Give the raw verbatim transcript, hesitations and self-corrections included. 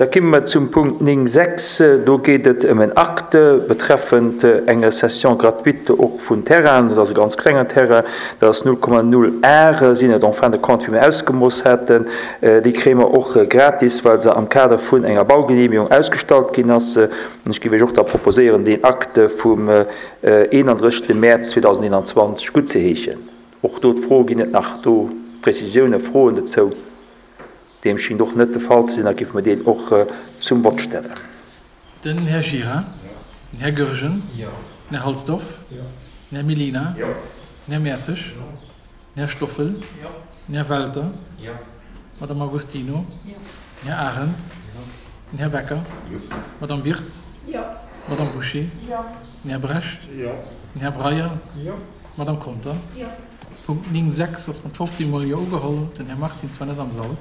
Da komme mer zum Punkt néng sechs. Do geet et ëm en Acte betreffend enger Cession gratuite och vun Terrainen. Dat ass e ganz klengen Terrain, dat ass null Komma null Are sinn et en fin de compte, wéi mir ausgemooss haten. Déi kréie mer och gratis, well se am Kader vun enger Baugenehmigung ausgestallt ginn ass. An ech géif Iech och da proposéieren, deen Acte vum eenandrëssegste Mäerz zweedausendeenanzwanzeg guttzeheeschen. Och do d'Fro, Ginn et nach do Prezisiounen, Froen dozou? Deem schingt och net de Fall ze sinn, da géife mer deen och zum Vott stellen. Den Här Gira. Den Här Goergen. Den Här Halsdorf. Den Här Mellina. Den Här Mertzig. Den Här Stoffel. Den Här Welter. D'Madame Agostino. Den Här Arendt. Den Här Becker. D'Madame Wirtz. D'Madame Bouché. Den Här Brecht. Den Här Breyer. D'Madame Conter. Punkt néng sechs ass mat fofzéng Mol Jo ugeholl. Den Här Martins war net am Sall.